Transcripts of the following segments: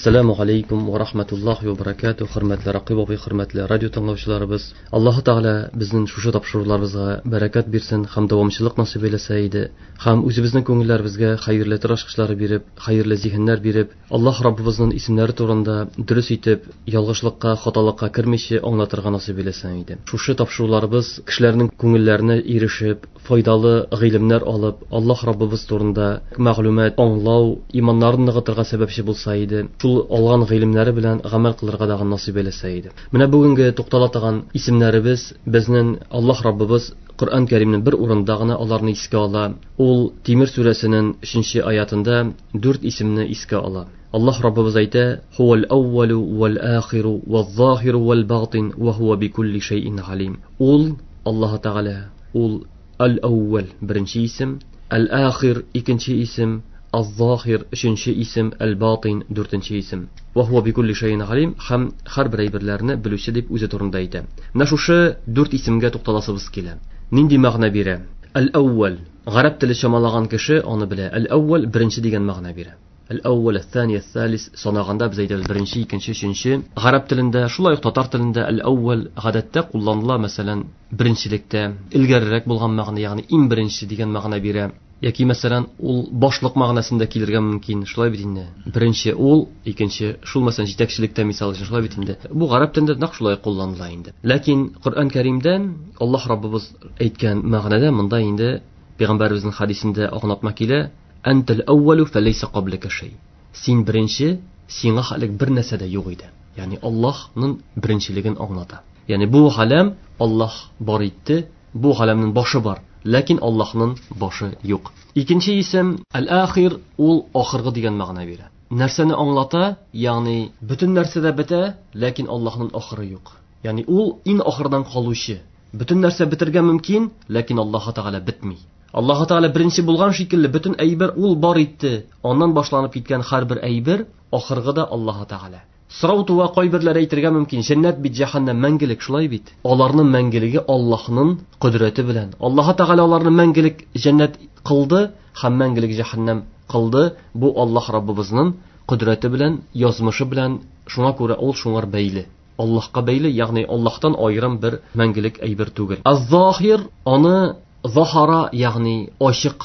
Ассаламу алейкум ва рахматуллахи ва баракатуh. Хөрмәтле Ракыйп абый, хөрмәтле радио тыңлаучыларыбыз. Аллаһы Тәгалә безнең шушы тапшыруларыбызга бәрәкәт бирсен һәм дәвамчылык насыйп әйләсә иде. Һәм үзебезнең күңелләребезгә хәерле тел ачкычлары биреп, хәерле зиһеннәр биреп, Аллаһ Раббыбызның исемнәре турында дөрес итеп, ялгышлыкка, хаталыкка кермичә аңлатырга насыйп әйләсен иде. Шушы тапшыруларыбыз кешеләрнең күңелләренә ирешеп, файдалы гыйлемнәр алып, Аллаһ Раббыбыз турында мәгълүмат аңлау, иманнарын ныгытырга сәбәпче булса иде. Шул алган гыйлемнәре белән гамәл кылырга дагы насыйп әйләсә иде. Менә бүгенге туктала торган исемнәребез безнең Аллаһ Раббыбыз Коръән Кәримнең бер урында гына аларны искә ала. Ул Тимер сүрәсенең 3 аятында 4 исемне искә ала. Аллаһ Раббыбыз әйтә: "Хуал әүвәлу вал ахиру вал захиру вал батин ва хуа бикулли шәйин алим." Ул Аллаһ Тәгалә, ул Әл-әүвәл беренче исем, Әл-ахир икенче исем, Аз-захир өченче исем, Әл-батин дүртенче исем. Ва хуа бикулли шәйин алим һәм һәрбер әйберләрне белүче дип үзе турында әйтә. Менә шушы дүрт исемгә тукталасыбыз килә. Нинди мәгънә бирә? Әл-әүвәл. Гарәп теле чамалаган кеше аны белә. Әл-әүвәл беренче дигән мәгънә бирә. Әл-әүвәл, әл-thani, әл-thalис санаганда без әйтәбез беренче, икенче, өченче. Гарәп телендә, шулай ук татар телендә әл-әүвәл гадәттә кулланыла, мәсәлән, беренчелектә, элгәрерәк булган мәгънә, ягъни иң беренче дигән мәгънә бирә. Яки, мәсәлән, ул башлык мәгънәсендә килергә мөмкин, шулай бит инде. Беренче ул, икенче шул, мәсәлән, җитәкчелектә мисал өчен, шулай бит инде. Бу гарәп телендә нәкъ шулай кулланыла инде. Ләкин Коръән Кәримдә Аллаһ Раббыбыз әйткән мәгънәдә монда инде пәйгамбәребезнең хадисендә аңлатма килә: Әнтәл әүвәлү фәләйсә кабләкә шәй. Син беренче, сиңа хәлек бер нәрсә дә юк иде. Ягъни Аллаһның беренчелеген аңлата. Ягъни бу галәм Аллаһ бар итте, бу галәмнең башы бар, ләкин Аллаһның башы юк. Икенче исем Әл-Ахир, ул ахыргы дигән мәгънә бирә. Нәрсәне аңлата? Ягъни бөтен нәрсә дә бетә, ләкин Аллаһның ахыры юк. Ягъни ул иң ахырдан калучы. Бөтен нәрсә бетергә мөмкин, ләкин Аллаһ Тәгалә бетми. Аллаһ Тәгалә беренче булган шикелле бөтен әйбер ул бар итте. Аннан башланып киткән һәрбер әйбер ахыргы да Аллаһ Тәгалә. Сорау туа, кайберләре әйтергә мөмкин, җәннәт бит, җәһәннәм мәңгелек, шулай бит? Аларның мәңгелеге Аллаһның кодрәте белән. Аллаһ Тәгалә аларны мәңгелек җәннәт кылды һәм мәңгелек җәһәннәм кылды. Бу Аллаһ Раббыбызның кодрәте белән, язмышы белән, шуңа күрә ул шуңар бәйле. Аллаһка бәйле, ягъни Аллаһтан аерым бер мәңгелек әйбер түгел. Аз-захир аны захара, ягъни ачык,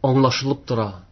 аңлашылып тора,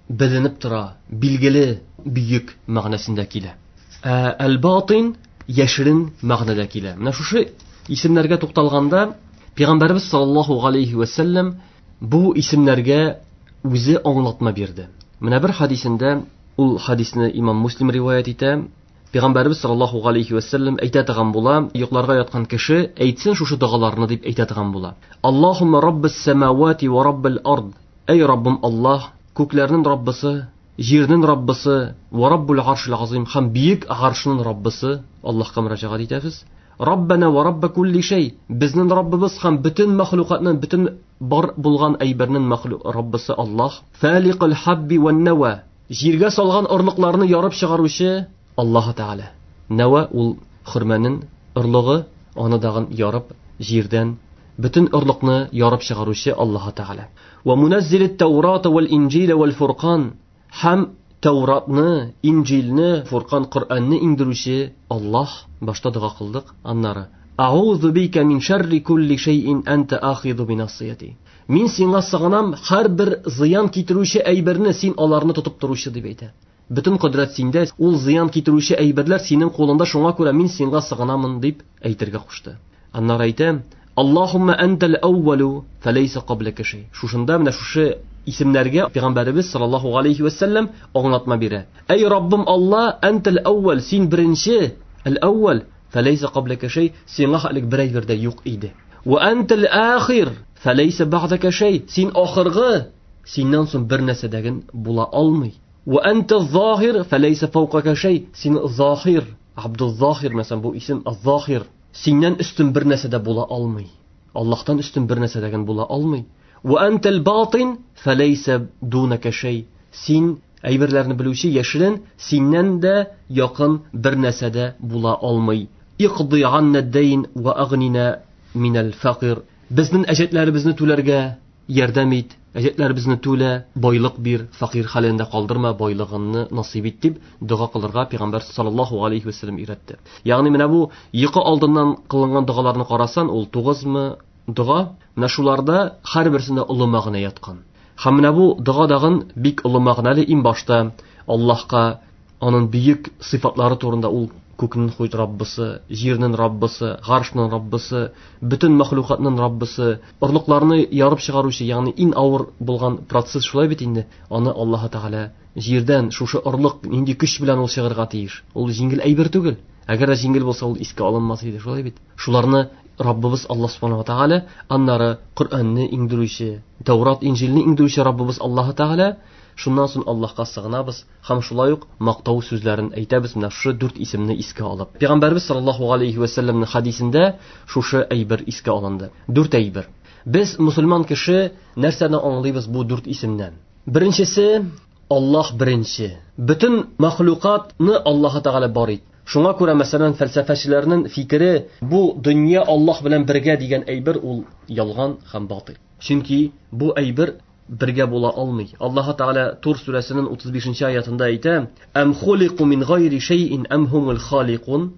беленеп тора, билгеле, бөек мәгънәсендә килә. Ә әл-батин яшерен мәгънәдә килә. Менә шушы исемнәргә тукталганда, Пәйгамбәрбез саллаллаһу алейхи ва саллям бу исемнәргә үзе аңлатма бирде. Менә бер хадисендә, ул хадисне имам Муслим риваять итә, Пәйгамбәрбез саллаллаһу алейхи ва саллям әйтә торган була, йокларга яткан кеше әйтсен шушы догаларны дип әйтә торган була. Аллаһумма раббис самавати ва раббил ард. Әй Раббым Аллаһ, күкләрнең Раббысы, җирнең Раббысы, ва раббул аршил азим һәм бөек аршның Раббысы, Аллаһка мөрәҗәгать итәбез. Раббана ва рабба кулли шәй. Безнең Раббыбыз һәм бөтен мәхлукатның, бөтен бар булган әйбернең мәхлук Раббысы Аллаһ. Фаликул хабби ван нава. Җиргә салган орлыкларны ярып чыгаручы Аллаһ Тәгалә. Нава ул хөрмәнең орлыгы, аны дагын ярып җирдән бөтен орлыкны ярып чыгаручы Аллаһ Тәгалә. Ва муназзилит Тәурата вал Инҗил вал Фуркан. Һәм Тәуратны, Инҗилне, Фуркан, Коръәнне иңдерүче Аллаһ. Башта дога кылдык, аннары Аузу бика мин шарри кулли шәйин анта ахиду бинасияти. Мин сиңа сыгынам, һәрбер зыян китерүче әйберне син аларны тотып торучы дип әйтә. Бөтен кодрәт синдә, ул зыян китерүче әйберләр синең кулыңда, шуңа күрә мин сиңа сыгынамын дип әйтергә кушты. Аннары әйтә: Аллаһумма антал әүвәлу фәләйсә каблака шәй. Шушында менә шушы исемнәргә Пәйгамбәребез саллаллаһу алейхи ва саллям аңлатма бирә. Әй Раббым Алла, антал әүвәл, син беренче, әл-әүвәл, фәләйсә каблака шәй, сиңа хәлек бер әйбер дә юк иде. Ва антал ахир, фәләйсә бәгъдәкә шәй, син ахыргы, синнән соң бер нәрсә дә була алмый. Ва антал захир, фәләйсә фәүкака шәй, син захир, Абдул Захир, мәсәлән, бу исем Захир, синнән өстен бер нәрсә дә була алмый. Аллаһтан өстен бер нәрсә дә була алмый. Ва антал батин, фәләйсә дунака шәй, син әйберләрне белүче яшерен, синнән дә якын бер нәрсә дә була алмый. Иқди анна дайн ва агнина минал факир. Безнең әҗәтләребезне түләргә ярдәм ит. Әҗәтләребезне түлә, байлык бир, фәкыйрь хәлендә калдырма, байлыгыңны насыйп ит дип дога кылырга Пәйгамбәр саллаллаһу алейхи ва сәлләм өйрәтте. Ягъни менә бу йокы алдыннан кылынган догаларны карасан, ул 9-мы дога, менә шуларда һәрберсендә олы мәгънә яткан. Һәм менә бу дога дагын бик олы мәгънәле. Иң башта Аллаһка аның бөек сыйфатлары турында, ул күкнең хуҗ Раббысы, җирнең Раббысы, гаршның Раббысы, бөтен мәхлукатның Раббысы, орлыкларны ярып чыгаручы, ягъни иң авыр булган процесс шулай бит инде. Аны Аллаһ Тәгалә җирдән шушы орлык нинди көч белән ул чыгарга тиеш. Ул җиңел әйбер түгел. Әгәр дә җиңел булса, ул искә алынмас иде, шулай бит. Шуларны Раббыбыз Аллаһ Субханаһу ва Тәгалә, аннары Коръәнне иңдерүче, Тәүрат, Инҗилне иңдерүче Раббыбыз Аллаһ Тәгалә, шуннан соң Аллаһка сыгынабыз һәм шулай ук мактау сүзләрен әйтәбез, менә шушы дүрт исемне искә алып. Пәйгамбәрбез саллаллаһу алейхи ва сәлләмнең хадисендә шушы әйбер искә алынды. Дүрт әйбер. Без мусульман кеше нәрсәне аңлыйбыз бу дүрт исемнән? Беренчесе, Аллаһ беренче. Бөтен мәхлукатны Аллаһ Тәгалә бар итте. Шуңа күрә, мәсәлән, фәлсәфәчеләрнең фикере, бу дөнья Аллаһ белән бергә дигән әйбер ул ялган һәм батил. Чөнки бу әйбер бергә була алмый. Аллаһ Тәгалә Тур сүрәсенең 35-нче аятында әйтә: "Ам хулику мин гайри шәйин ам хумул халикун?"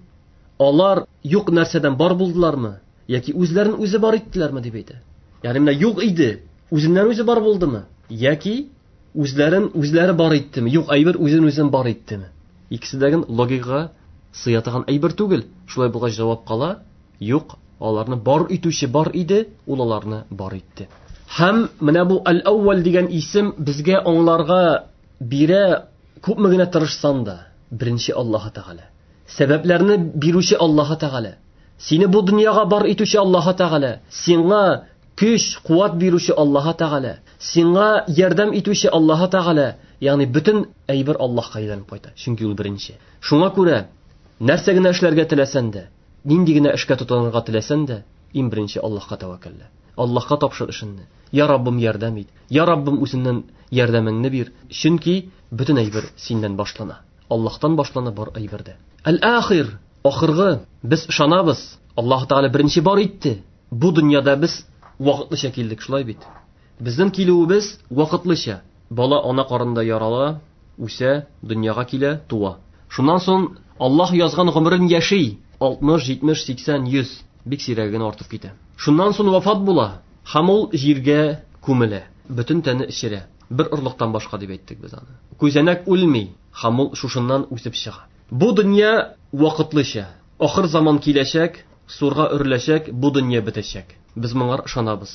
Алар юк нәрсәдән бар булдылармы, яки үзләрен үзе бар иттеләрме дип әйтә. Ягъни менә юк иде, үзеннән үзе бар булдымы, яки үзләрен үзләре бар иттеме? Юк әйбер үзен үзен бар иттеме? Икесе дә логикага сыя торган әйбер түгел. Шулай булгач җавап кала: юк, аларны бар итүче бар иде, ул аларны бар итте. Һәм менә бу Әл-Әүвәл дигән исем безгә аңларга бирә, күпме генә тырышсан да, беренче Аллаһ Тәгалә. Сәбәпләрне бирүче Аллаһ Тәгалә. Сине бу дөньяга бар итүче Аллаһ Тәгалә. Сиңа көч, куәт бирүче Аллаһ Тәгалә. Сиңа ярдәм итүче Аллаһ Тәгалә. Ягъни бөтен әйбер Аллаһка әйләнеп кайта. Чөнки ул беренче. Шуңа күрә нәрсә генә эшләргә теләсәң дә, нинди генә эшкә тотынырга теләсәң дә, иң беренче Аллаһка тәвәккәллә. Аллаһка тапшыр эшеңне. Я Раббым, ярдәм ит. Я Раббым, үзеңнән ярдәмеңне бир. Чөнки бөтен әйбер синнән башлана. Аллаһтан башлана бар әйбер дә. Әл-Ахир, ахыргы. Без ышанабыз. Аллаһ Тәгалә беренче бар итте. Бу дөньяда без вакытлыча килдек, шулай бит. Безнең килүебез вакытлыча. Бала ана карынында ярала, үсә, дөньяга килә, туа. Шуннан соң Аллаһ язган гомерен яши. 60, 70, 80, 100. Бик сирәге генә артып китә. Шуннан соң вафат була һәм ул җиргә күмелә. Бөтен тәне эчерә. Бер орлыктан башка дип әйттек без аны. Күзәнәк үлми һәм ул шушыннан үсеп чыга. Бу дөнья вакытлыча. Ахыр заман киләчәк, сурга өреләчәк, бу дөнья бетәчәк. Без моңар ышанабыз.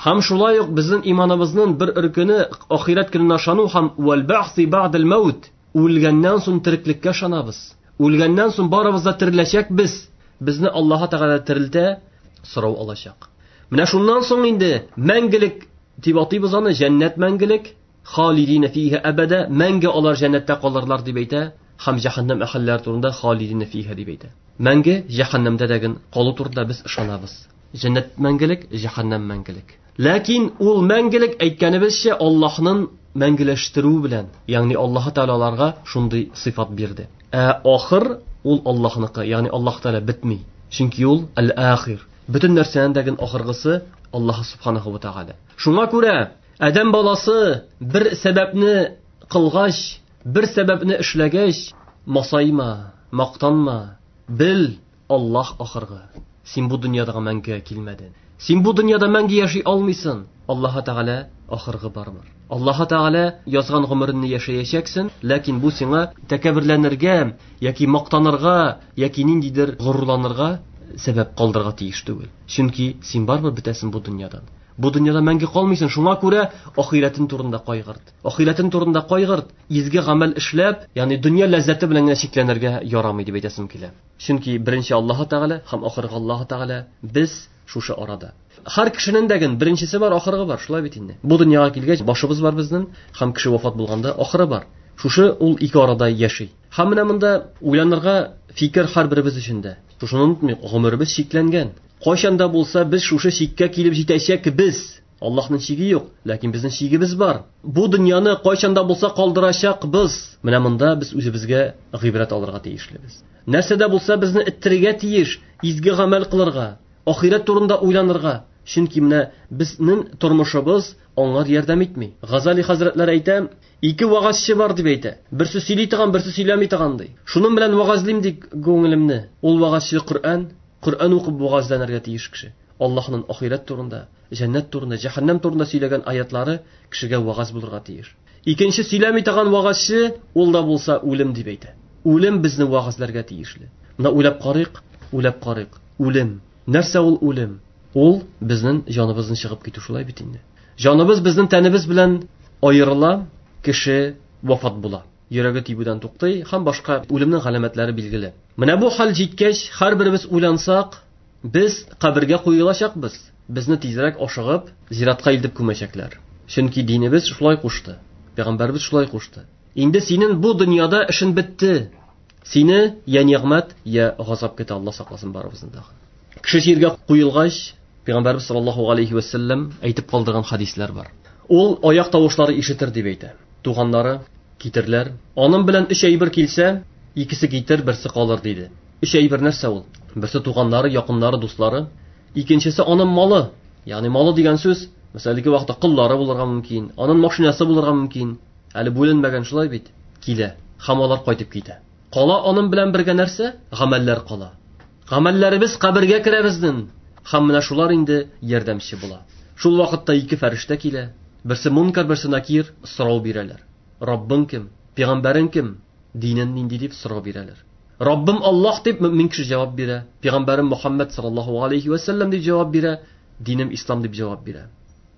Һәм шулай ук безнең иманыбызның бер өркене ахирәт көненә ышану һәм вәл бәгъси бәгъдел мәүт, үлгәннән соң тереклеккә ышанабыз. Үлгәннән соң барыбыз да тереләчәкбез. Безне Аллаһ Тәгалә терелтә, сорау алачак. Менә шуннан соң инде мәңгелек дип атыйбыз аны, җәннәт мәңгелек, халидина фиһа әбәдә, мәңге алар җәннәттә калырлар дип әйтә, һәм җәһәннәм әһелләре турында халидина фиһа дип әйтә. Мәңге җәһәннәмдә дәген калу турында без ышанабыз. Җәннәт мәңгелек, җәһәннәм мәңгелек. Ләкин ул мәңгелек әйткәнебезчә Аллаһның мәңгеләштерүе белән, ягъни Аллаһ Тәгалә аларга шундый сыйфат бирде. Ә ахыр ул Аллаһныкы, ягъни Аллаһ Тәгалә бетми. Чөнки ул әл-ахир. Бөтен нәрсәнең дә ахыргысы Аллаһ Субханаһу ва Тәгалә. Шуңа күрә адәм баласы бер сәбәпне кылгач, бер сәбәпне эшләгәч, масайма, мактанма, бел, Аллаһ ахыргы. Син бу дөньяда мәңгегә килмәдең. Син бу дөньяда мәңге яши алмыйсың. Аллаһ Тәгалә ахыргы барыбер. Аллаһ Тәгалә язган гомереңне яшәячәксең, ләкин бу сиңа тәкәбберләнергә яки мактанырга, яки ниндидер горурланырга сәбәп калдырырга тиеш түгел. Чөнки син барыбер бетәсең бу дөньядан. Бу дөньяда мәңге калмыйсың, шуңа күрә ахирәтең турында кайгырт. Ахирәтең турында кайгырт, изге гамәл эшләп, ягъни дөнья ләззәте белән генә чикләнергә ярамый дип әйтәсем килә. Чөнки беренче Аллаһ Тәгалә һәм ахыргы Аллаһ Тәгалә, без шушы арада. Һәр кешенең дә беренчесе бар, ахыргы бар, шулай бит инде. Бу дөньяга килгәч, башыбыз бар безнең, һәм кеше вафат булганда ахыры бар. Шушы ул ике арада яши. Һәм менә монда уйланырга фикер һәрберебез өчен дә. Шушыны онытмыйк, гомеребез чикләнгән. Кайчан да булса без шушы чиккә килеп җитәчәкбез. Аллаһның чиге юк, ләкин безнең чигебез бар. Бу дөньяны кайчан да булса калдырачакбыз. Менә монда без үзебезгә гыйбрәт алырга тиешлебез. Нәрсә дә булса безне эттерергә тиеш, изге гамәл кылырга, ахирәт турында уйланырга. Чөнки менә безнең тормышыбыз аңар ярдәм итми. Газали хәзрәтләре әйтә, ике вагазчы бар дип әйтә. Берсе сөйли торган, берсе сөйләми торган ди. Шуның белән вагазлыйм ди күңелемне. Ул вагазчы Коръән, Коръән укып вагазланырга тиеш кеше. Аллаһның ахирәт турында, җәннәт турында, җәһәннәм турында сөйләгән аятлары кешегә вагаз булырга тиеш. Икенче сөйләми торган вагазчы, ул да булса үлем дип әйтә. Үлем безне вагазларга тиешле. Менә уйлап карыйк, уйлап карыйк. Үлем. Нәрсә ул үлем? Ул безнең җаныбызны чыгып китү, шулай бит инде. Җаныбыз безнең тәнебез белән аерыла, кеше вафат була. Йөрәге тибүдән туктый һәм башка үлемнең галәмәтләре билгеле. Менә бу хәл җиткәч, һәрберебез уйлансак, без кабергә куелачакбыз. Безне тизрәк ашыгып зиратка илтеп күмәчәкләр. Чөнки динебез шулай кушты. Пәйгамбәребез шулай кушты. Инде синең бу дөньяда эшен бетте. Сине я нигъмәт, я газап көтә, Алла сакласын барыбызны да. Кеше җиргә куелгач, Пәйгамбәрбез саллаллаһу алейхи ва саллям әйтеп калдырган хадисләр бар. Ул аяк тавышлары ишетер дип әйтә. Туганнары китерләр. Аның белән өч әйбер килсә, икесе китер, берсе калыр диде. Өч әйбер нәрсә ул? Берсе туганнары, якыннары, дуслары. Икенчесе аның малы. Ягъни малы дигән сүз, мәсәлән, ике вакытта коллары булырга мөмкин, аның машинасы булырга мөмкин. Әле бүленмәгән, шулай бит? Килә. Һәм алар кайтып китә. Кала аның белән бергә нәрсә? Гамәлләр кала. Гамәлләребез кабергә керә безнең. Һәм менә шулар инде ярдәмче була. Шул вакытта ике фәрештә килә. Берсе Мункар, берсе Накир, сорау бирәләр. Раббың кем? Пәйгамбәрең кем? Динен нинди дип сорау бирәләр. Раббым Аллаһ дип мөмин кеше җавап бирә. Пәйгамбәрем Мухаммад саллаллаһу алейхи ва саллям дип җавап бирә. Динем ислам дип җавап бирә.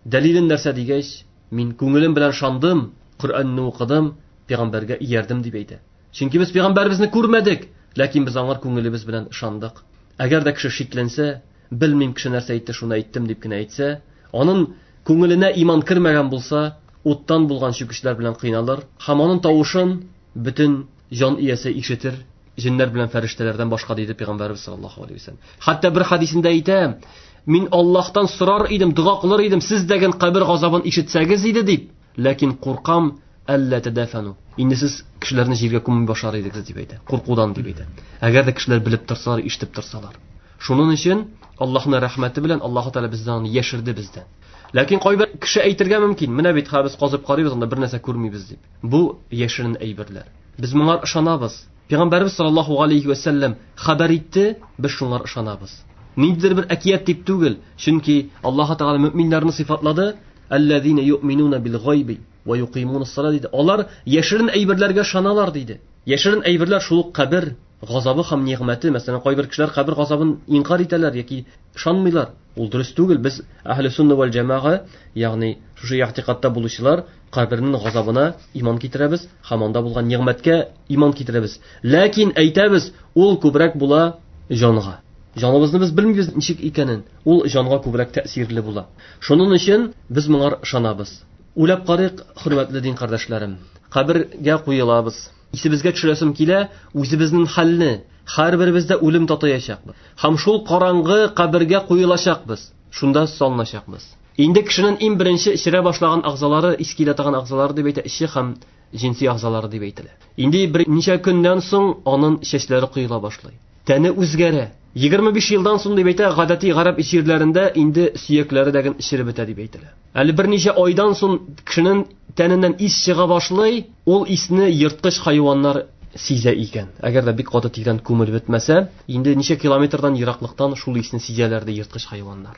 Дәлилен нәрсә дигәч, мин күңелем белән шандым, Коръәнне укыдым, пәйгамбәргә иярдем дип әйтә. Чөнки без пәйгамбәребезне күрмәдек, ләкин без аңар күңелебез белән ышандык. Әгәр дә кеше шикләнсә, белмим кеше нәрсә әйтте, шуны әйттем дип кенә әйтсә, аның күңеленә иман кермәгән булса, уттан булган чүкечләр белән кыйналыр һәм аның тавышын бөтен җан иясе ишетер, җеннәр белән фәрештәләрдән башка, диде пәйгамбәребез саллаллаһу алейһи ва саллям. Хәтта бер хадисендә әйтә, мин Аллаһтан сорар идем, дога кылыр идем, сез дәген кабер газабын ишетсәгез иде дип, ләкин куркам, әллә тәдәфәну. Инде сез кешеләрне җиргә күмми башлар идегез дип әйтә. Куркудан дип әйтә. Әгәр дә кешеләр белеп торсалар, ишетеп торсалар. Шуның өчен Аллаһның рәхмәте белән Аллаһ Тәгалә бездән аны яшерде бездән. Ләкин кайбер кеше әйтергә мөмкин, менә бит хәзер без казып карыйбыз, анда бер нәрсә күрмибез дип. Бу яшерен әйберләр. Без моңар ышанабыз. Пәйгамбәрбез саллаллаһу алейхи ва саллям хәбәр итте, без шуңар ышанабыз. Ниндидер бер әкият дип түгел, чөнки Аллаһ Тәгалә мөминнәрне сыйфатлады, аллазина юъминуна бил гайби ва юкимуна ссала диде. Алар яшерен әйберләргә ышаналар диде. Яшерен әйберләр шул ук кабер газабы һәм нигъмәте. Мәсәлән, кайбер кешеләр кабер газабын инкар итәләр яки ышанмыйлар. Ул дөрес түгел. Без әһле сунна вәл җәмәга, ягъни шушы игътикадта булучылар, кабернең газабына иман китерәбез һәм анда булган нигъмәткә иман китерәбез. Ләкин әйтәбез, ул күбрәк була җанга. Җаныбызны без белмибез ничек икәнен. Ул җанга күбрәк тәэсирле була. Шуның өчен без моңар ышанабыз. Уйлап карыйк, хөрмәтле дин кардәшләрем. Кабергә куелабыз. Исебезгә төшерәсем килә, үзебезнең хәлне, һәрберебездә үлем татыячакбыз. Һәм шул караңгы кабергә куелачакбыз. Шунда салыначакбыз. Инде кешенең иң беренче эчерә башлаган агзалары, ис килә торган агзалары дип әйтә, эче һәм җенси агзалары дип әйтелә. Инде берничә көннән соң аның чәчләре коела башлый. Тәне үзгәрә. 25 елдан соң дип әйтә, гадәти гарәп җирләрендә инде сөякләре дә эчереп бетә дип әйтелә. Әле берничә айдан соң кешенең тәненнән ис чыга башлый, ул исне ерткыч хайваннар сизә икән. Әгәр дә бик каты тирән күмелеп бетмәсә, инде ничә километрдан ераклыктан шул исне сизәләр ди ерткыч хайваннар.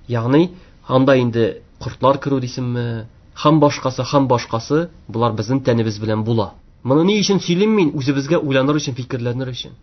Ягъни анда инде кортлар керү дисеңме, һәм башкасы, һәм башкасы, болар безнең тәнебез белән була. Моны ни өчен сөйлим мин? Үзебезгә уйланыр өчен, фикерләнер өчен.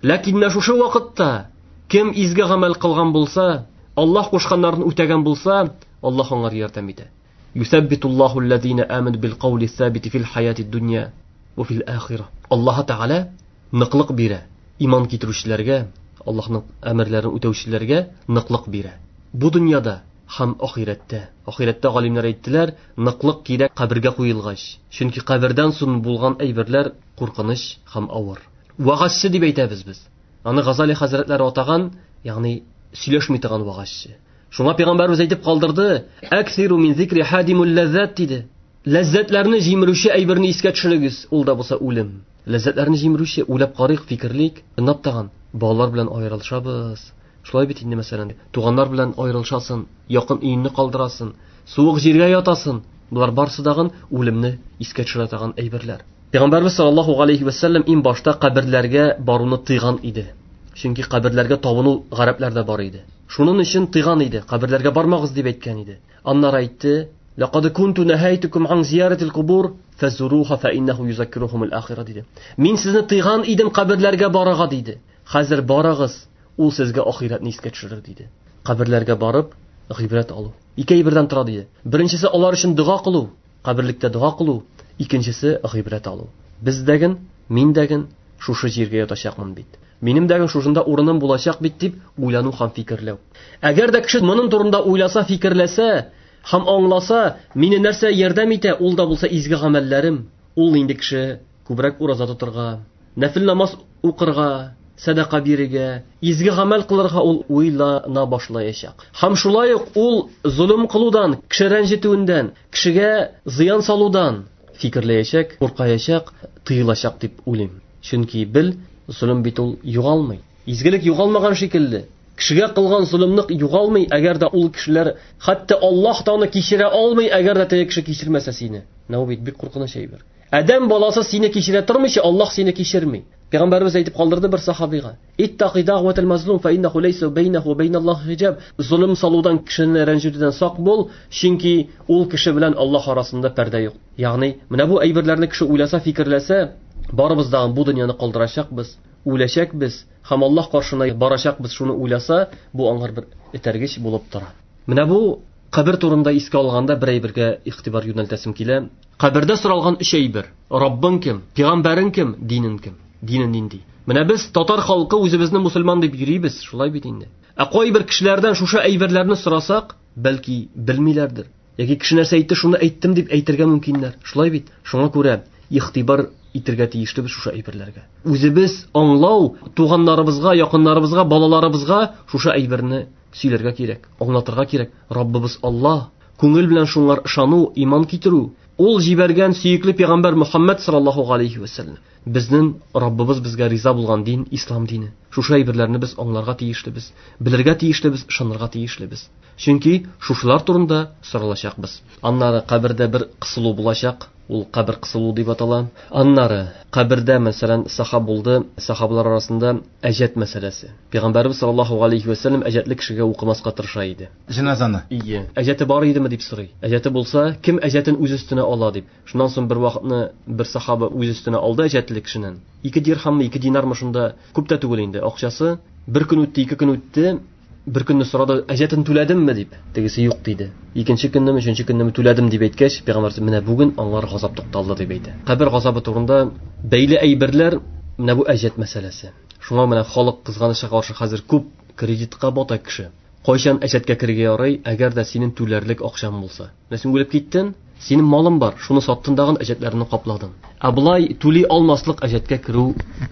Ләкин менә шушы вакытта кем изге гамәл кылган булса, Аллаһ кушканнарын үтәгән булса, Аллаһ аңар ярдәм итә. Юсаббитуллаһу аллазина аману бил каули сабити фил хаяти дунья ва фил ахира. Аллаһ Тәгалә ныклык бирә. Иман китерүчеләргә, Аллаһның әмерләрен үтәүчеләргә ныклык бирә. Бу дөньяда һәм ахирәттә. Ахирәттә галимнәр әйттеләр, ныклык кирәк кабергә куелгач. Чөнки кабердән соң булган әйберләр куркыныч һәм авыр. Вагазчы дип әйтәбез без. Аны Газали хәзрәтләре атаган, ягъни сөйләшми торган вагазчы. Шуңа пәйгамбәрбез әйтеп калдырды, Әксиру мин зикри хадимул ләззат диде. Ләззәтләрне җимерүче әйберне искә төшерегез, ул да булса үлем. Ләззәтләрне җимерүче, уйлап карыйк, фикерлик, тыңлап тагын балалар белән аерылышабыз. Шулай бит инде, мәсәлән, туганнар белән аерылышасың, якын өеңне калдырасың, суык җиргә ятасың. Болар барысы дагын үлемне искә төшерә торган әйберләр. Пәйгамбәрбез саллаллаһу алейхи ва саллям иң башта каберләргә баруны тыйган иде. Чөнки каберләргә табыну гарәпләрдә бар иде. Шуның өчен тыйган иде, каберләргә бармагыз дип әйткән иде. Аннары әйтте: "Лaqad kuntu nahaytukum an ziyaratil qubur fazuruha fa innahu yuzakkiruhumul akhirah" диде. Мин сезне тыйган идем каберләргә барырга диде. Хәзер барыгыз, ул сезгә ахирәтне искә төшерер диде. Каберләргә барып гыйбрәт алу. Ике әйбердән тора диде. Беренчесе алар өчен дога кылу, каберлектә дога кылу, икенчесе гыйбрәт алу. Без дәген, мин дәген шушы җиргә ятачакмын бит. Минем дәген шушында урыным булачак бит дип уйлану һәм фикерләү. Әгәр дә кеше моның турында уйласа, фикерләсә һәм аңласа, мине нәрсә ярдәм итә, ул да булса изге гамәлләрем. Ул инде кеше күбрәк ураза тотырга, нәфил намаз укырга, сәдака бирергә, изге гамәл кылырга ул уйлана башлаячак. Һәм шулай ук ул золым кылудан, кеше рәнҗетүеннән, кешегә зыян салудан фикерләячәк, куркаячак, тыелачак дип уйлыйм. Чөнки бел, золым бит ул югалмый. Изгелек югалмаган шикелле. Кешегә кылган золымлык югалмый, әгәр дә ул кешеләр хәтта Аллаһ та аны кичерә алмый, әгәр дә теге кеше кичермәсә сине. Менә бу бит бик куркыныч әйбер. Адәм баласы сине кичерә тормыйча, Аллаһ сине кичерми. Пәйгамбәребез әйтеп калдырды бер сахабига: "Иттақи дa'ватал мазлум фа иннаху лейса бейнаху ва бейналлахи хиҗаб." Золым салудан, кешене рәнҗетүдән сак бул, чөнки ул кеше белән Аллаһ арасында пәрдә юк. Ягъни, менә бу әйберләрне кеше уйласа, фикерләсә, барыбыз да бу дөньяны калдырачакбыз, үләчәкбез һәм Аллаһ каршына барачакбыз, шуны уйласа, бу аңар бер этәргеч булып тора. Менә бу кабер турында искә алганда бер әйбергә игътибар юнәлтәсем килә. Кабердә соралган өч әйбер: Раббың кем, пәйгамбәрең кем, динең кем? Динең нинди? Менә без татар халкы үзебезне мусульман дип йөрибез, шулай бит инде. Ә кайбер кешеләрдән шушы әйберләрне сорасак, бәлки белмиләрдер. Яки кеше нәрсә әйтте, шуны әйттем дип әйтергә мөмкиннәр. Шулай бит. Шуңа күрә игътибар итергә тиешлебез шушы әйберләргә. Үзебез аңлау, туганнарыбызга, якыннарыбызга, балаларыбызга шушы әйберне сөйләргә кирәк, аңлатырга кирәк. Раббыбыз Аллаһ, күңел белән шуңар ышану, иман китерү, ул җибәргән сөекле пәйгамбәр Мухаммад саллаллаһу алейхи ва саллям. Безнең Раббыбыз безгә риза булган дин ислам дине. Шушы әйберләрне без аңларга тиешлебез, белергә тиешлебез, ышанырга тиешлебез. Чөнки шушылар турында соралачакбыз. Аннары кабердә бер кысылу булачак, ул кабер кысылу дип атала. Аннары кабердә, мәсәлән, сахаб булды, сахабалар арасында әҗәт мәсьәләсе. Пәйгамбәрбез саллаллаһу алейхи ва саллям әҗәтле кешегә укымаска тырыша иде. Җеназаны. Ие. Әҗәте бар идеме дип сорый. Әҗәте булса, кем әҗәтен үз өстенә ала дип. Шуннан соң бер вакытны бер сахаба үз өстенә алды әҗәтле кешенең. 2 дирхаммы, 2 динармы шунда, күп тә түгел инде акчасы. Бер көн үтте, 2 көн үтте. Бер көнне сорады, әҗәтен түләдемме дип. Тегесе юк диде. Икенче көннеме, өченче көннеме түләдем дип әйткәч, пәйгамбәр менә бүген аңар газап тукталды дип әйтә. Кабер газабы турында бәйле әйберләр менә бу әҗәт мәсьәләсе. Шуңа менә халык кызганычка каршы хәзер күп кредитка бата кеше. Кайчан әҗәткә керергә ярый, әгәр дә синең түләрлек акчаң булса. Менә син үлеп киттең, синең малың бар, шуны саттың дагын әҗәтләреңне капладың. Ә болай түли алмаслык әҗәткә керү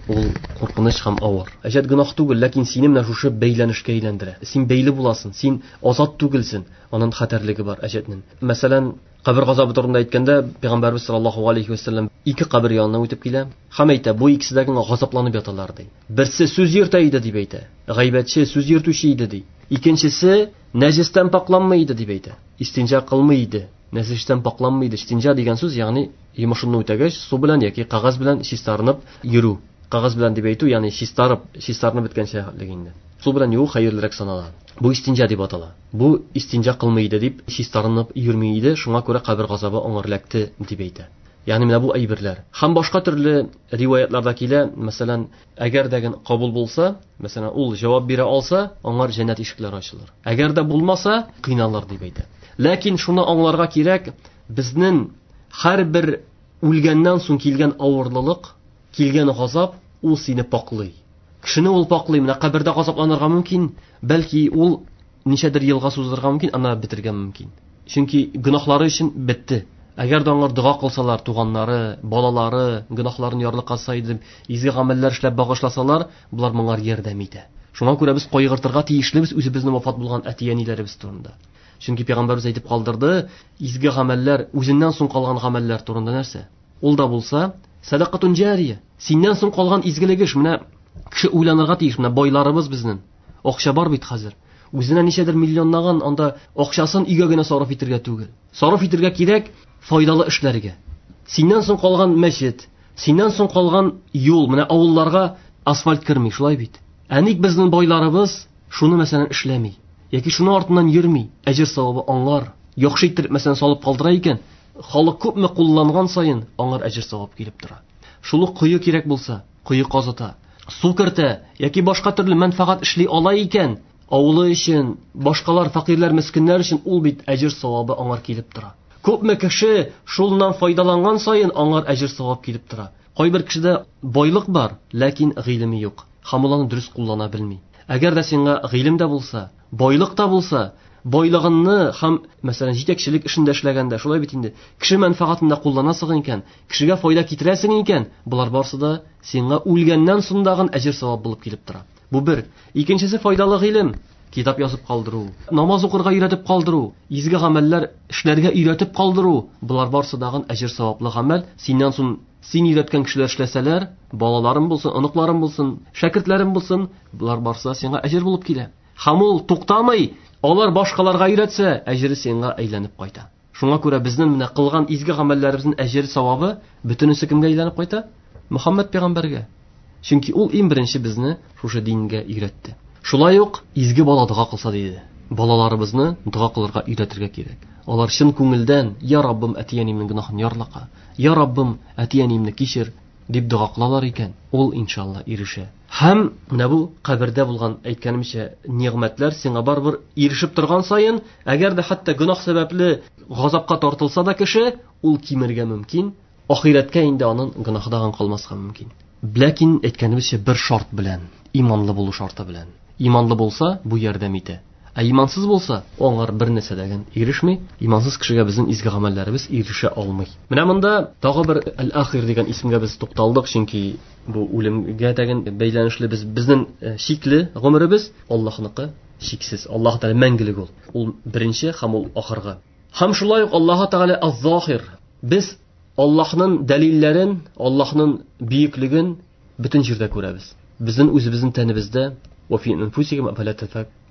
ул куркыныч һәм авыр. Әҗәт гөнаһ түгел, ләкин сине менә шушы бәйләнешкә әйләндерә. Син бәйле буласың, син азат түгелсең. Аның хәтәрлеге бар әҗәтнең. Мәсәлән, кабер газабы турында әйткәндә, Пәйгамбәрбез саллаллаһу алейхи ва саллям ике кабер янына үтеп килә һәм әйтә, бу икесе дә генә газапланып яталар ди. Берсе сүз йөртә иде дип әйтә. Гайбәтче, сүз йөртүче иде ди. Икенчесе нәҗестән пакланмый иде дип әйтә. Истинҗа кылмый иде. Нәҗестән пакланмый иде. Истинҗа дигән сүз, ягъни йомышыңны үтәгәч, су белән яки кәгазь белән чистарынып йөрү. Кәгазь белән дип әйтү, ягъни чистарып, чистарынып беткәнчә инде. Су белән юу хәерлерәк санала. Бу истинҗа дип атала. Бу истинҗа кылмый иде дип чистарынып йөрми иде, шуңа күрә кабер газабы аңар эләкте дип әйтә. Ягъни менә бу әйберләр. Һәм башка төрле риваятларда килә, мәсәлән, әгәр дә кабул булса, мәсәлән, ул җавап бирә алса, аңар җәннәт ишекләре ачылыр. Әгәр дә булмаса, кыйналыр дип әйтә. Ләкин шуны аңларга кирәк, безнең һәрбер үлгәннән соң килгән авырлылык, килгән газап, ул сине паклый. Кешене ул паклый, менә кабердә газапланырга мөмкин, бәлки ул ничәдер елга сузылырга мөмкин, ана бетергә мөмкин. Чөнки гөнаһлары өчен бетте. Әгәр дә аңар дога кылсалар, туганнары, балалары гөнаһларын ярлыкаса иде, изге гамәлләр эшләп багышласалар, булар моңар ярдәм итә. Шуңа күрә без кайгыртырга тиешлебез үзебезнең вафат булган әти-әниләребез турында. Чөнки пәйгамбәрбез әйтеп калдырды, изге гамәлләр, үзеннән соң калган гамәлләр турында нәрсә? Ул да булса, садакатун җария. Синнән соң калган изгелек эш. Менә кеше уйланырга тиеш, менә байларыбыз безнең. Акча бар бит хәзер. Үзенә ничәдер миллионлаган анда акчасын өйгә генә сарыф итәргә түгел. Сарыф итәргә кирәк файдалы эшләргә. Синнән соң калган мәчет, синнән соң калган юл, менә авылларга асфальт керми, шулай бит. Ә ник безнең байларыбыз шуны мәсәлән эшләми? Яки шуны артыннан йөрми, әҗер савабы аңар. Яхшы иттереп мәсәлән салып калдыра икән, халык күпме кулланган саен аңар әҗер савап килеп тора. Шул ук кое кирәк булса, кое казыта, су кертә яки башка төрле мәнфәгать эшли ала икән, авылы өчен, башкалар фәкыйрьләр, мескеннәр өчен ул бит әҗер савабы аңар килеп тора. Күпме кеше шулнан файдаланган саен аңар әҗер савап килеп тора. Кайбер кешедә байлык бар, ләкин гыйлеме юк. Һәм ул аны дөрес куллана белми. Әгәр дә сиңа гыйлем дә булса, байлык та булса, байлыгыңны һәм, мәсәлән, җитәкчелек эшендә эшләгәндә, шулай бит инде, кеше мәнфәгатендә кулланасың икән, кешегә файда китерәсең икән, болар барсы да сиңа үлгәннән соң дагын әҗер савап булып килеп тора. Бу бер. Икенчесе файдалы гыйлем. Китап язып калдыру, намаз укырга өйрәтеп калдыру, изге гамәлләр эшләргә өйрәтеп калдыру, болар барсы дагын әҗер саваплы гамәл. Синнән соң син өйрәткән кешеләр эшләсәләр, балаларың булсын, оныкларың булсын, шәкертләрең булсын, болар барсы да сиңа әҗер булып килә. Һәм ул туктамый, алар башкаларга өйрәтсә, әҗере сиңа әйләнеп кайта. Шуңа күрә безнең менә кылган изге гамәлләребезнең әҗер савабы бөтенесе кемгә әйләнеп кайта? Мөхәммәд пәйгамбәргә. Чөнки ул иң беренче безне шушы дингә өйрәтте. Шулай ук изге бала дога кылса диде. Балаларыбызны дога кылырга өйрәтергә кирәк. Алар чын күңелдән, "Я Раббым, әти-әниемнең гөнаһын ярлыка, я Раббым, әти-әниемне кичер" дип дога кылалар икән, ул иншалла ирешә. Һәм менә бу кабердә булган, әйткәнемчә, нигъмәтләр сиңа барыбер ирешеп торган саен, әгәр дә хәтта гөнаһ сәбәпле газапка тартылса да кеше, ул кимергә мөмкин. Ахирәткә инде аның гөнаһы дагын калмаска мөмкин. Ләкин әйткәнебезчә бер шарт белән, иманлы булу шарты белән. Иманлы булса, бу ярдәм итә. Ә имансыз булса, аңар бер нәрсә дә ирешми. Имансыз кешегә безнең изге гамәлләребез ирешә алмый. Менә монда тагы бер Әл-Ахир дигән исемгә без тукталдык, чөнки бу үлемгә дәген бәйләнешле без безнең шикле гомеребез Аллаһныкы шиксез. Аллаһ Тәгалә мәңгелек ул. Ул беренче һәм ул ахыргы. Һәм шулай ук Аллаһ Тәгалә Аз-Захир. Без Аллаһның дәлилләрен, Аллаһның бөеклеген бөтен җирдә күрәбез. Безнең үзебезнең тәнебездә ва фи анфусикум афала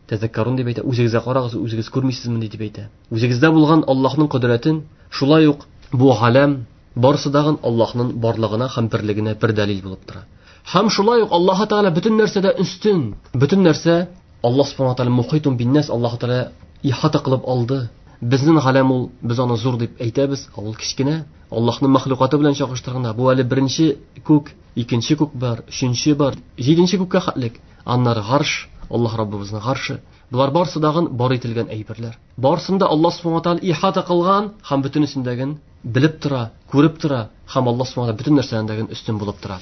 тәзәккәрун дип әйтә. Үзегезгә карагыз, үзегез күрмисезме дип әйтә. Үзегездә булган Аллаһның кодрәтен, шулай ук бу галәм барысы дагын Аллаһның барлыгына һәм берлегенә бер дәлил булып тора. Һәм шулай ук Аллаһ Тәгалә бөтен нәрсәдә өстен. Бөтен нәрсә Аллаһ Субхану Тәгалә мухитун биннәс, Аллаһ Тәгалә ихата кылып алды. Безнең галәм ул, без аны зур дип әйтәбез, ә ул кечкенә. Аллаһның мәхлукаты белән чагыштырганда, бу әле беренче күк, икенче күк бар, өченче бар, җиденче күккә хәтлек. Аннары гарш, Аллаһ Раббыбызның гаршы. Болар барысы дагын бар ителгән әйберләр. Барысын да Аллаһ Субхану Тәгалә ихата кылган һәм бөтенесендәген белеп тора, күреп тора һәм Аллаһ Субхану Тәгалә бөтен нәрсәдән өстен булып тора.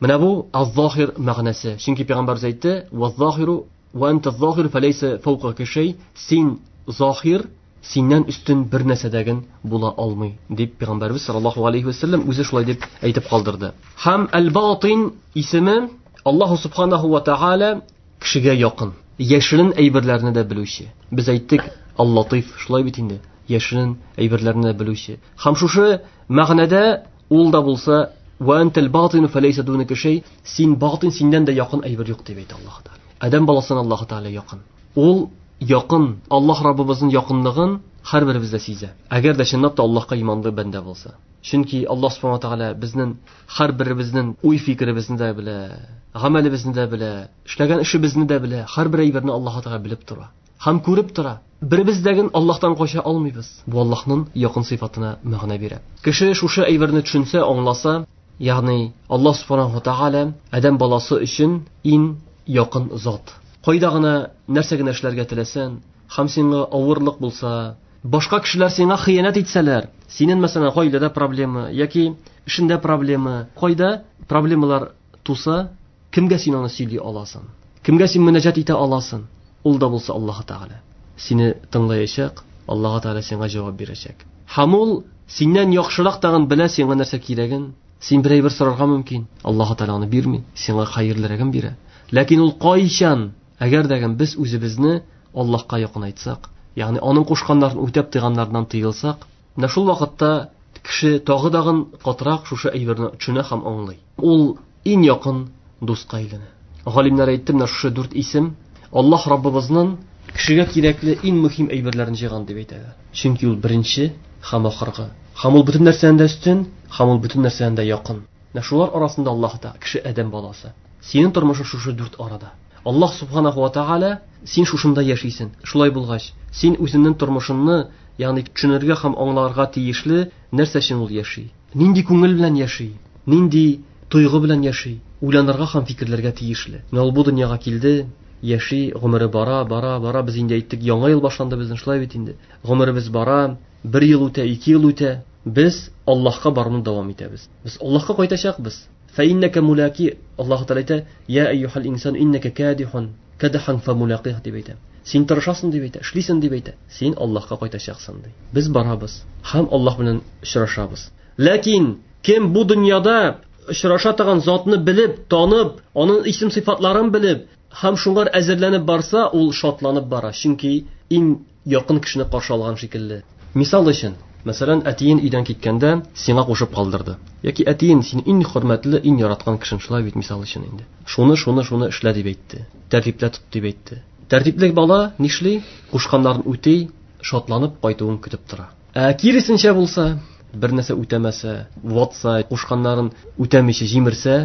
Менә бу аз-захир мәгънәсе. Чөнки пәйгамбәрбез әйтте: "Ваз-захиру ва анта аз-захир фалейса фawqaka шей". Син захир, синнән өстен бер нәрсәдәген була алмый, дип пәйгамбәрбез саллаллаһу алейхи ва саллям үзе шулай дип әйтеп калдырды. Һәм әл-батин исеме Аллаһу субханаху ва тааля кешегә якын, яшерен әйберләрне дә белүче. Без әйттек, Аллатыйф, шулай бит инде, яшерен әйберләрне дә белүче. Һәм шушы мәгънәдә ул да булса ва антал батину фалейса дунaka шей, син батин, синнән дә якын әйбер юк дип әйтә Аллаһ Тәгалә. Адәм баласына Аллаһ Тәгалә якын. Ул якын, Аллаһ Раббыбызның якынлыгын һәрберебез дә сизә. Әгәр дә чынлап та Аллаһка иманлы бәндә булса. Чөнки Аллаһ Субхану Тәгалә безнең һәрберебезнең уй фикеребезне дә белә, гамәлебезне дә белә, эшләгән эшебезне дә белә, һәрбер әйберне Аллаһ Тәгалә белеп тора. Һәм күреп тора. Беребез дә Аллаһтан кача алмыйбыз. Бу Аллаһның якын сыйфатына мәгънә бирә. Кеше шушы әйберне төшенсә, аңласа, ягъни Аллаһ Субхану Тәгалә адәм баласы өчен иң якын зат. Кайда гына нәрсә генә эшләргә теләсәң, һәм сиңа авырлык булса, башка кешеләр сиңа хыянәт итсәләр, синең мәсәлән гаиләдә проблема яки эшендә проблема, кайда проблемалар туса, кемгә син аны сөйли аласың? Кемгә син мөнәҗәт итә аласың? Ул да булса Аллаһ Тәгалә. Сине тыңлаячак, Аллаһ Тәгалә сиңа җавап бирәчәк. Һәм ул синнән яхшырак тагын белә сиңа нәрсә кирәген. Син бер әйбер сорарга мөмкин, Аллаһ Тәгалә аны бирми, сиңа хәерлерәген бирә. Ләкин ул кайчан, әгәр дә без үзебезне Аллаһка якынайтсак, ягъни аның кушканнарын үтәп тыйганнарыннан тыелсак, менә шул вакытта кеше тагы дагын катырак шушы әйберне төшенә һәм аңлый. Ул иң якын дуска әйләнә. Галимнәр әйтте, менә шушы дүрт исем. Аллаһ Раббыбызның кешегә кирәкле иң мөһим әйберләрен җыйган дип әйтәләр. Чөнки ул беренче һәм ахыргы. Һәм ул бөтен нәрсәдән дә өстен, һәм ул бөтен нәрсәдән дә якын. Менә шулар арасында Аллаһ та кеше адәм баласы. Синең тормышың шушы дүрт арада. Аллаһ субханаху ва тааля, син шушында яшисең. Шулай булгач, син үзеңнең тормышыңны, ягъни төшенергә һәм аңларга тиешле нәрсә өчен ул яши. Нинди күңел белән яши, нинди тойгы белән яши, уйланырга һәм фикерләргә тиешле. Менә ул бу дөньяга килде, яши, гомере бара, бара, бара. Без инде әйттек, яңа ел башланды безнең, шулай бит инде. Гомеребез бара, бер ел үтә, ике ел үтә. Без Аллаһка баруны дәвам итәбез. Без Аллаһка кайтачакбыз. Фәиннәкә мулаки, Аллаһ Тәгалә әйтә, я әйюхәл инсан иннәкә кадихун, кадхан фамулақих дип әйтә. Син тырышасың дип әйтә, эшлисең дип әйтә. Син Аллаһка кайтачаксың ди. Без барабыз һәм Аллаһ белән очрашабыз. Ләкин кем бу дөньяда очраша торган затны белеп, танып, аның исем сыйфатларын белеп һәм шуңар әзерләнеп барса, ул шатланып бара. Чөнки иң якын кешене каршы алган шикелле. Мисал өчен, мәсәлән, әтиен өйдән киткәндә сиңа кушып калдырды. Яки әтиен син иң хөрмәтле, иң яраткан кешең, шулай бит, мисал өчен инде. Шуны, шуны, шуны эшлә дип әйтте. Тәртиплә тот дип әйтте. Тәртипле бала нишли? Кушканнарын үти, шатланып кайтуын көтеп тора. Ә киресенчә булса, бер нәрсә үтәмәсә, ватса, кушканнарын үтәмичә җимерсә,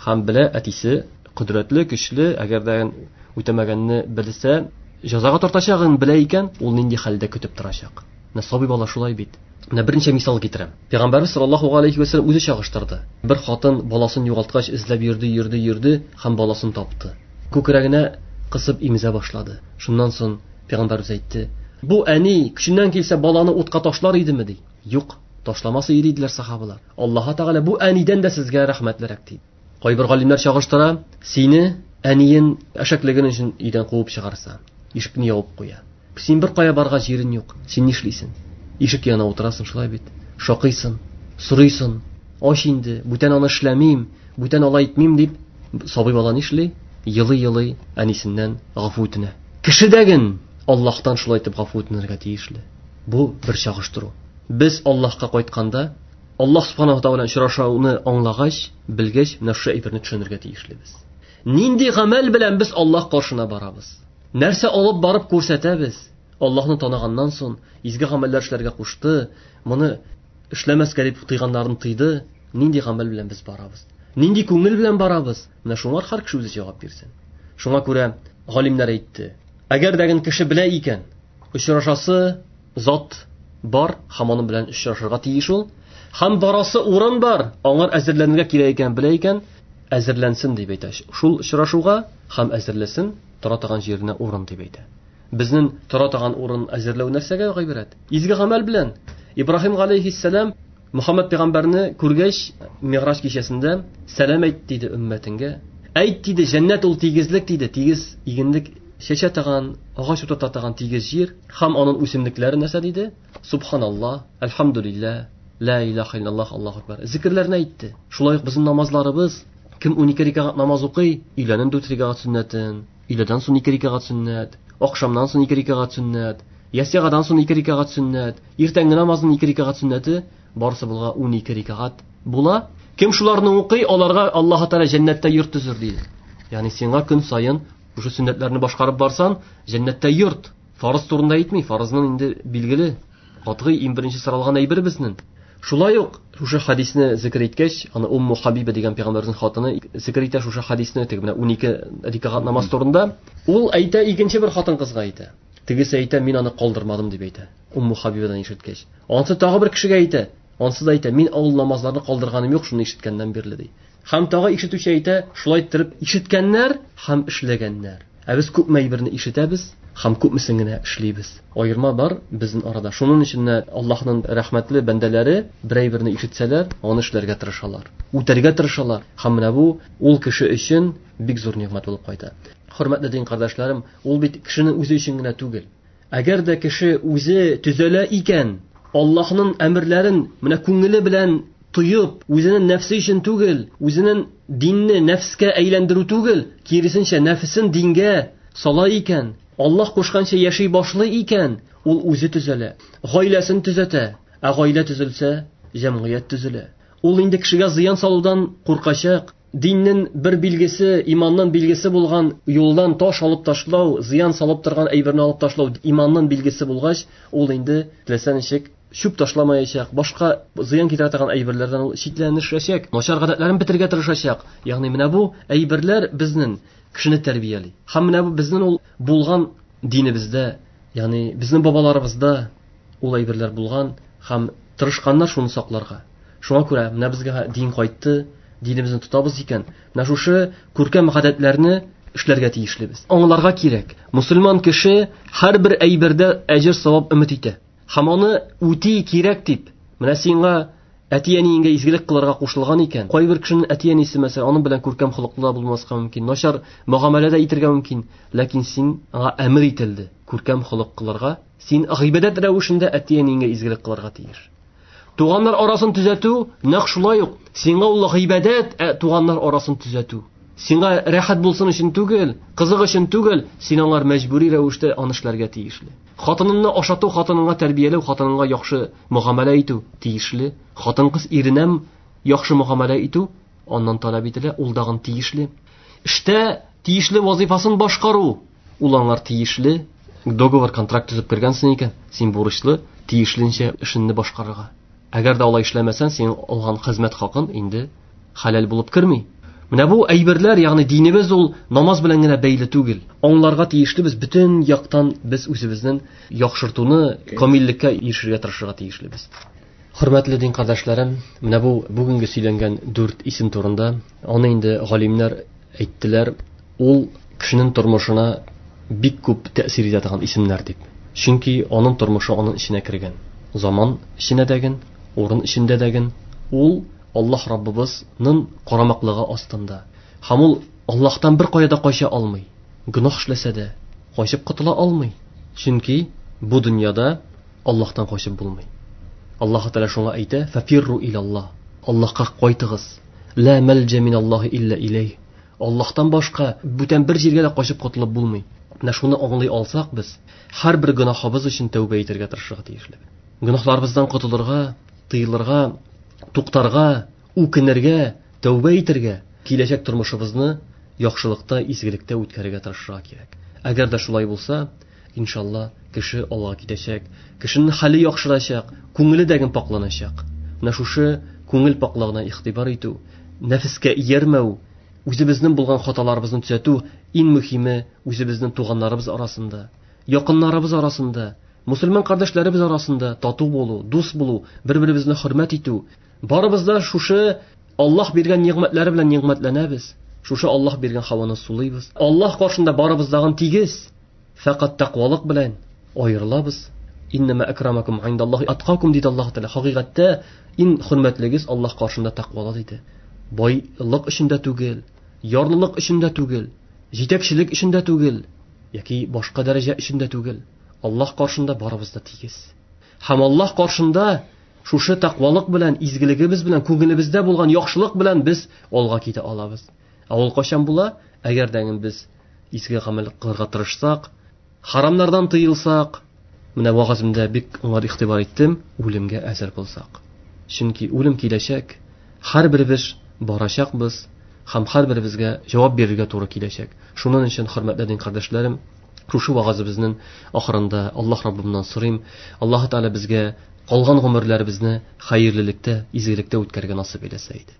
һәм белә әтисе кодрәтле, көчле, әгәр дә үтәмәгәнне белсә, җәзага тартачагын белә икән, ул нинди хәлдә көтеп торачак. Менә сабый бала шулай бит. Менә берничә мисал китерәм. Пәйгамбәрбез саллаллаһу алейхи ва саллям үзе чагыштырды. Бер хатын баласын югалткач эзләп йөрде, йөрде, йөрде һәм баласын тапты. Күкрәгенә кысып имезә башлады. Шуннан соң пәйгамбәрбез әйтте: "Бу әни көченнән килсә баланы утка ташлар идеме?" ди. Юк, ташламас иде диделәр сахабалар. Аллаһ Тәгалә бу әнидән дә сезгә рәхмәтлерәк ди. Кайбер галимнәр чагыштыра, сине әниен әшәклеген өчен өйдән куып чыгарса, ишекне ябып куя. Син бер кая барга җирен юк. Син нишлисең? Ишек янына утырасың, шулай бит. Шакыйсың, сорыйсың. Ач инде, бүтән аны эшләмим, бүтән алай итмим дип, сабый бала нишли? Елый-елый әнисеннән гафу үтенә. Кеше дәген Аллаһтан шулай итеп гафу үтенергә тиешле. Бу бер чагыштыру. Без Аллаһка кайтканда, Аллаһ субханаһу ва тааля очрашуны аңлагач, белгәч, менә шушы әйберне төшенергә тиешлебез. Нинди гамәл белән без Аллаһ каршына барабыз? Нәрсә алып барып күрсәтәбез? Аллаһны таныганнан соң изге гамәлләр эшләргә кушты, моны эшләмәскә дип тыйганнарын тыйды. Нинди гамәл белән без барабыз? Нинди күңел белән барабыз? Менә шуңар һәр кеше үзе җавап бирсен. Шуңа күрә галимнәр әйтте: әгәр дә кеше белә икән, очрашасы зат бар, һәм аның белән очрашырга тиеш ул, һәм барасы урын бар, аңар әзерләнергә кирәк икән белә икән, әзерләнсен дип әйтә. Шул очрашуга һәм әзерләсен, тора торган җиренә урын дип әйтә. Безнең тора торган урын әзерләү нәрсәгә гыйбарәт? Изге гамәл белән. Ибраһим галәйһиссәлам Мөхәммәд пәйгамбәрне күргәч, Миграҗ кичәсендә сәлам әйт диде өммәтеңгә. Әйт диде, җәннәт ул тигезлек диде, тигез игенлек чәчә торган, агач утырта торган тигез җир һәм аның үсемлекләре нәрсә диде? Субханаллаһ, әлхәмдүлилләһ, ла илаһа иллаллаһ, Аллаһу акбар. Зикерләрне әйтте. Шулай ук безнең намазларыбыз, кем 12 рәкәгать намаз укый, өйләнен 4 рәкәгать сөннәтен, өйләдән соң 2 рәкәгать сөннәт, ахшамнан соң 2 рәкәгать сөннәт, ясигадан соң 2 рәкәгать сөннәт, иртәнге намазның 2 рәкәгать сөннәте, барысы булга 12 рәкәгать була. Кем шуларны укый, аларга Аллаһ Тәгалә җәннәттә йорт төзер диде. Ягъни сиңа көн саен шушы сөннәтләрне башкарып барсан, җәннәттә йорт. Фарыз турында әйтми, фарызның инде билгеле, катгый иң беренче соралган әйбер безнең. Шулай ук шушы хадисне зикр иткәч, аны Умму Хабиба дигән пәйгамбәрнең хатыны зикр итә шушы хадисне, теге менә 12 рәкәгать намаз турында. Ул әйтә, икенче бер хатын-кызга әйтә. Тегесе әйтә, мин аны калдырмадым дип әйтә. Умму Хабибадан ишеткәч. Ансы тагы бер кешегә әйтә. Ансы да әйтә, мин ул намазларны калдырганым юк, шуны ишеткәннән бирле ди. Һәм тагы ишетүче әйтә, шулай иттереп ишеткәннәр һәм эшләгәннәр. Ә без күпме әйберне ишетәбез һәм күпмесен генә эшлибез. Аерма бар безнең арада. Шуның өчен дә Аллаһның рәхмәтле бәндәләре бер әйберне ишетсәләр, аны эшләргә тырышалар, үтәргә тырышалар. Һәм менә бу ул кеше өчен бик зур нигъмәт булып кайта. Хөрмәтле дин кардәшләрем, ул бит кешенең үзе өчен генә түгел. Әгәр дә кеше үзе төзәлә икән, Аллаһның әмерләрен менә күңеле белән тоеп, үзенең нәфсе өчен түгел, үзенең динне нәфскә әйләндерү түгел, киресенчә нәфсен дингә сала икән, Аллаһ кушканча яши башлый икән, ул үзе төзәлә, гаиләсен төзәтә, ә гаилә төзелсә, җәмгыять төзелә. Ул инде кешегә зыян салудан куркачак. Диннең бер билгесе, иманның билгесе булган юлдан таш алып ташлау, зыян салып торган әйберне алып ташлау иманның билгесе булгач, ул инде теләсә ничек чүп ташламаячак, башка зыян китерә торган әйберләрдән ул читләнешәчәк, начар гадәтләрен бетерергә тырышачак. Ягъни менә бу әйберләр безнең кешене тәрбияли. Һәм менә бу безнең ул булган динебездә, ягъни безнең бабаларыбызда ул әйберләр булган һәм тырышканнар шуны сакларга. Шуңа күрә менә безгә дин кайтты, динебезне тотабыз икән, менә шушы күркәм гадәтләрне эшләргә тиешлебез. Аңларга кирәк. Мусульман кеше һәрбер әйбердә әҗер савап өмет итә. Һәм аны үти кирәк дип, менә сиңа әти-әниеңгә изгелек кылырга кушылган икән, кайбер кешенең әти-әнисе мәсәлән, аның белән күркәм холыклы да булмаска мөмкин, начар мөгамәлә дә итәргә мөмкин, ләкин син аңа әмер ителде күркәм холык кылырга, син гыйбадәт рәвешендә әти-әниеңгә изгелек кылырга тиеш. Туганнар арасын төзәтү нәкъ шулай ук, сиңа ул гыйбадәт, туганнар арасын төзәтү. Сиңа рәхәт булсын өчен түгел, кызык өчен түгел, син аңар мәҗбүри рәвештә аны эшләргә тиешле. Хатыныңны ашату, хатыныңа тәрбияләү, хатыныңа яхшы мөгамәлә итү тиешле. Хатын-кыз иренә яхшы мөгамәлә итү аннан таләп ителә, ул дагын тиешле. Эштә тиешле вазифасын башкару, ул аңар тиешле. Договор, контракт төзеп кергәнсең икән, син бурычлы тиешле эшеңне башкарырга. Әгәр дә алай эшләмәсәң, син алган хезмәт хакын инде хәләл булып керми. Менә бу әйберләр, ягъни динебез ул намаз белән генә бәйле түгел. Аңларга тиешлебез, бөтен яктан без үзебезнең яхшыртуны, камиллеккә ирешергә тырышырга тиешлебез. Хөрмәтле дин кардәшләрем, менә бу бүгенге сөйләнгән 4 исем турында аны инде галимнәр әйттеләр, ул кешенең тормышына бик күп тәэсир итә торган исемнәр дип. Чөнки аның тормышы аның эченә кергән. Заман эченә дәген, урын эчендә дәген, ул Аллаһ Раббыбызның карамаклыгы астында. Һәм ул Аллаһтан бер кая да кача алмый. Гөнаһ эшләсә дә качып котыла алмый. Чөнки бу дөньяда Аллаһтан качып булмый. Аллаһ Тәгалә шуңа әйтә: "Фафирру илаллаһ." Аллаһка кайтыгыз. Ла мәлҗә миналлаһи илля иләйһ. Аллаһтан башка бүтән бер җиргә дә качып котылып булмый. Менә шуны аңлый алсак без, һәрбер гөнаһыбыз өчен тәүбә итәргә тырышырга тиешле. Гөнаһларыбыздан котылырга, тыелырга, туктарга, үкенергә, тәүбә итәргә, киләчәк тормышыбызны яхшылыкта, изгелектә үткәрергә тырышырга кирәк. Әгәр дә шулай булса, иншалла, кеше алга китәчәк, кешенең хәле яхшырачак, күңеле дә пакланачак. Менә шушы күңел паклыгына игътибар итү, нәфескә иярмәү, үзебезнең булган хаталарыбызны төзәтү, иң мөһиме үзебезнең туганнарыбыз арасында, якыннарыбыз арасында, мусульман кардәшләребез арасында тату булу, дус булу, бер-беребезне хөрмәт итү. Барыбыз да шушы Аллаһ биргән нигъмәтләре белән нигъмәтләнәбез. Шушы Аллаһ биргән һаваны сулыйбыз. Аллаһ каршында барыбыз дагын тигез. Фәкать тәкъвалык белән аерылабыз. Иннама акрамакум индаллаһи аткакум диде Аллаһ Тәгалә. Хакыйкатьтә иң хөрмәтлегез Аллаһ каршында тәкъвалы диде. Байлык өчен дә түгел, ярлылык өчен дә түгел, җитәкчелек өчен дә түгел, яки башка дәрәҗә өчен дә түгел. Аллаһ каршында барыбыз да тигез. Һәм Аллаһ каршында шушы тәкъвалык белән, изгелегебез белән, күңелебездә булган яхшылык белән без алга китә алабыз. Ә ул кайчан була? Әгәр дә без изге гамәл кылырга тырышсак, харамнардан тыелсак, менә вагазымда бик уңай игътибар иттем, үлемгә әзер булсак. Чөнки үлем киләчәк, һәрберебез барачакбыз һәм һәрберебезгә җавап бирергә туры киләчәк. Шуның өчен, хөрмәтле дин кардәшләрем, шушы вагазыбызның ахырында Аллаһ Раббымнан сорыйм, Аллаһ Тәгалә безгә калган гомерләребезне хәерлелектә, изгелектә үткәрергә насыйп әйләсә иде.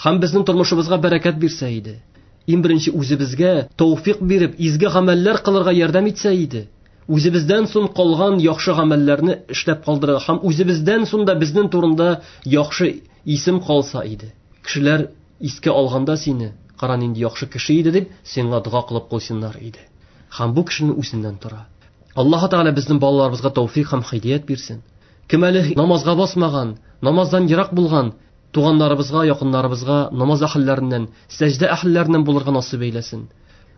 Һәм безнең тормышыбызга бәрәкәт бирсә иде. Иң беренче үзебезгә тәүфик биреп, изге гамәлләр кылырга ярдәм итсә иде. Үзебездән соң калган яхшы гамәлләрне эшләп калдырырга һәм үзебездән соң да безнең турында яхшы исем калса иде. Кешеләр искә алганда сине, кара нинди яхшы кеше иде дип, сиңа дога кылып куйсыннар иде. Һәм бу кешенең үзеннән тора. Аллаһ Тәгалә безнең балаларыбызга тәүфик һәм һидәят бирсен. Кем әле намазга басмаган, намаздан ерак булган туганнарыбызга, якыннарыбызга намаз әһелләреннән, сәҗдә әһелләреннән булырга насыйп әйләсен.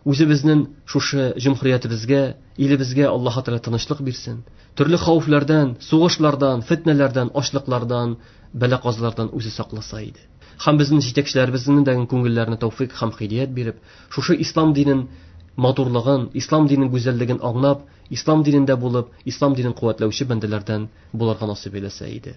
Үзебезнең шушы җөмһүриятебезгә, илебезгә Аллаһ Тәгалә тынычлык бирсен. Төрле хәвефләрдән, сугышлардан, фитнәләрдән, ачлыклардан, бәла-казалардан үзе сакласа иде. Һәм безнең җитәкчеләребезнең дә күңелләренә тәүфик һәм һидәят биреп, шушы ислам динен матурлыгын, ислам динен гүзәллеген аңлап, ислам динендә булып, ислам динен куәтләүче бәндәләрдән булырга насыйп әйләсә иде.